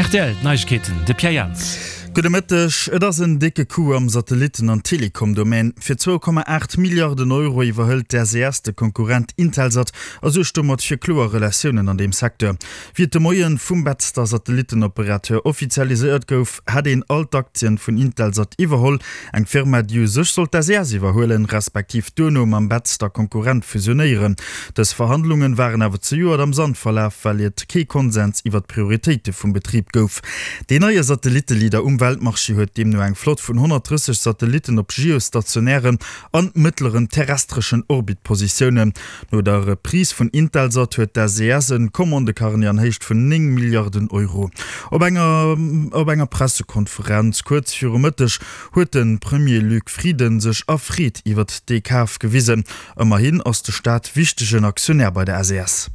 Rtl, D'Neiegkeeten, de Pierre Jans. Gudde Mëtteg. Et ass en décke Coup am Satellitten an Telekom-Domaine. Fir 2,8 Milliarden Euro iwwerhëlt d'SES de Konkurrent Intelsat a suergt domat fir kloer Relatiounen an deem Secteur. Wéi et de Moien vum Betzder Satellittenoperateur offizialiséiert gouf, hätt een all d'Aktien vun Intelsat iwwerholl, eng Firma déi u sech sollt d'SES iwwerhuelen, respektiv duerno mam Betzder Konkurrent fusionéieren. Dës Verhandlungen waren awer zejoert am Sand verlaf, well et kee Konsens iwwer d'Prioritéite vum Betrib gouf. Deen neie Satellitteleader um Weltmarché huet deemno eng Flott vun 130 Satellitten op geostationären an mëttleren terrestreschen Orbitpositiounen. No der Reprise vun Intelsat huet d'SES en Commandecarnet an Héicht vun 9 Milliarden Euro. Op enger op enger Pressekonferenz kuerz viru Mëtteg huet de Premier Luc Frieden sech erfreet iwwert dee Kaf gewisen. Ëmmerhin ass de Staat wichtegen Aktionär bei der SES.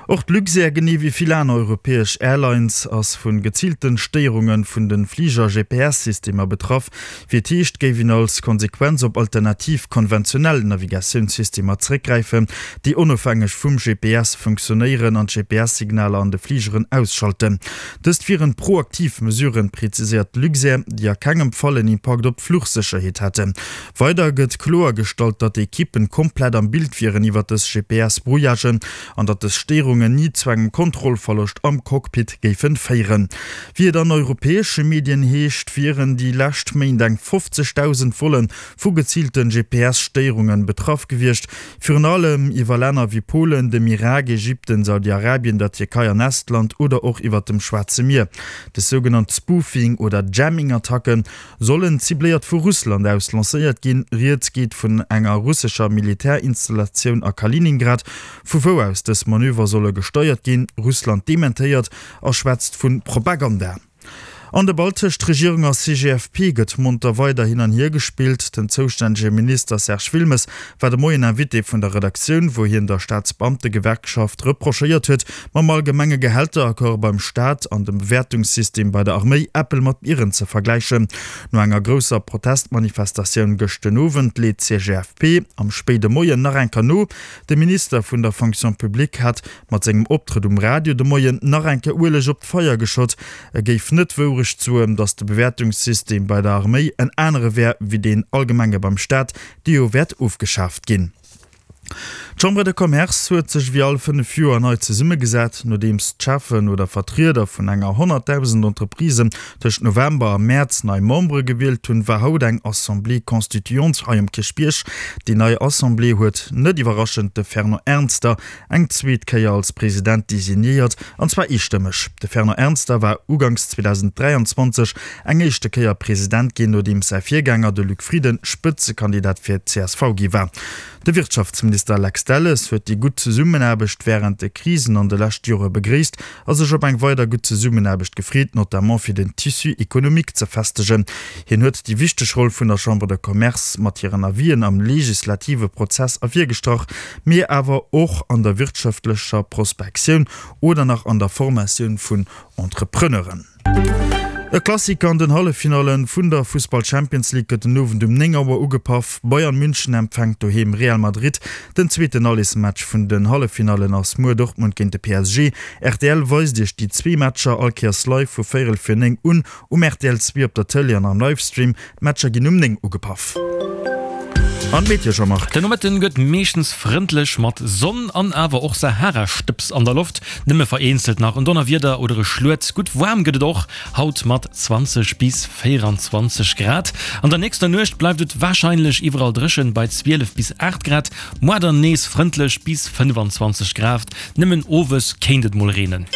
Och d'Luxair, genee wéi vill aner europäesch Airlines, ass vu geziilte Stéierunge vun de Fliger-GPS-Systemer betraff. Wéi et heescht, géif een als Konsequenz op alternativ konventionell Navigatiounssystemer zeréckgräifen, déi onofhängeg vum GPS funktionéieren an d'GPS-Signaler an de Fligeren ausschalten. Dëst wieren proaktiv Mesuren, preziséiert d'Luxair, déi a kengem Fall en Impakt op d'Fluchsécherheet hätten. Weider gëtt kloergestallt, datt d'Ekippen komplett am Bild wieren iwwer dës GPS-Brouillagen an datt dës Stéierungen ni zu engem Kontrollverloscht am Cockpit géifen féieren. Wéi et an europäesche Medien heescht, wieren déi lescht Méint eng 50.000 Volle vu geziilte GPS-Stéierungen betraff gewiescht, virun allem iwwer Länner wéi Polen, dem Irak, Ägypten, Saudi-Arabien, der Tierkei an Estland oder och iwwer dem Schwaarze Mier. Dës sougenannt Spoofing oder Jamming-Attacken Sollen cibléiert vu Russland aus lancéiert ginn. Rieds geet vun enger russescher Militärinstallatioun a Kaliningrad, vu wou aus dës Manöver solle gesteiert ginn. Russland dementéiert a schwätzt vu Propaganda. An de Ball tëscht Regierung a CGFP gëtt monter weider hin an hier gespillt. Den zoustännege Minister Serge Wilmes war de Moien Invité vun der Redaktioun, wou hien der Staatsbeamtegewerkschaft reprochéiert huet, mam allgemenge Gehälteraccord beim Staat an dem Bewäertungssystem bei der Arméi Äppel mat Bieren ze vergläichen. No enger grousser Protestmanifestatioun gëscht den Owend leet d'CGFP am spéide Moien nach eng Kéier no. De Minister vun der Fonction publique hat mat sengem Optrëtt um Radio de Moien nach eng Kéier Ueleg op d'Feier geschott. E géif net d'Wourecht soen, datt de Bewäertungssystem bei der Arméi en anere wär wéi deen allgemenge beim Staat, dee jo wäert ofgeschaaft ginn. D'Chambre de Commerce huet sech wéi all 5 Joer nei zesummegesat. Nodeems d'Cheffen oder Vertrieder vun enger 100.000 Entreprisen tëscht November a Mäerz nei Membere gewielt hunn, war haut eng Assemblée constituante hei um Kierchbierg. Déi nei Assemblée huet net iwwerraschend de Fernand Ernster eng zweet Kéier als President designéiert, an zwar eestëmmeg. De Fernand Ernster war uganks 2023 eng éischte Kéier President ginn, nodeems säi Virgänger, de Luc Frieden, Spëtzekandidat fir d'CSV gi war. De Wirtschaftsminister Lex Delles huet déi gutt Zesummenaarbecht wärend de Krisen an de leschte Jore begréisst a sech op eng weider gutt Zesummenaarbecht gefreet, notamment fir den Tissu économique ze festegen. Hien huet déi wichteg Roll vun der Chambre de Commerce mat hiren Avisen am legislative Prozess ervirgestrach, mee awer och an der wirtschaftlecher Prospektioun oder nach an der Formatioun vun Entrepreneuren. E Klassiker an den Halleffinallen vun der Fussball Champions League gëtt den Owend um 9 Auer ugepaff. Bayern München empfänkt doheem Real Madrid. Den zweeten Allesmatch vun den Halleffinallen ass muer Dortmund géint de PSG. Rtl weist iech déi zwee Matcher all Kéiers live vu véierel vir 9 un um rtl 2 op der Tëlee an am Livestream. D'Matcher ginn um 9 ugepaff. An d'Meteo, Jean-Marc? Den Nomëtten gëtt meeschtens frëndlech mat Sonn an awer och Saharastëbs an der Loft. Nëmme vereenzelt nach en Donnerwieder oder e Schluet. Gutt waarm gëtt et och haut mat 20 bis 24 Grad. An der nächster Nuecht bleift et warscheinlech iwwerall dréchen bei 12 bis 8 Grad. Moar dann nees frëndlech bis 25 Grad, nëmmen owes kéint et mol reenen.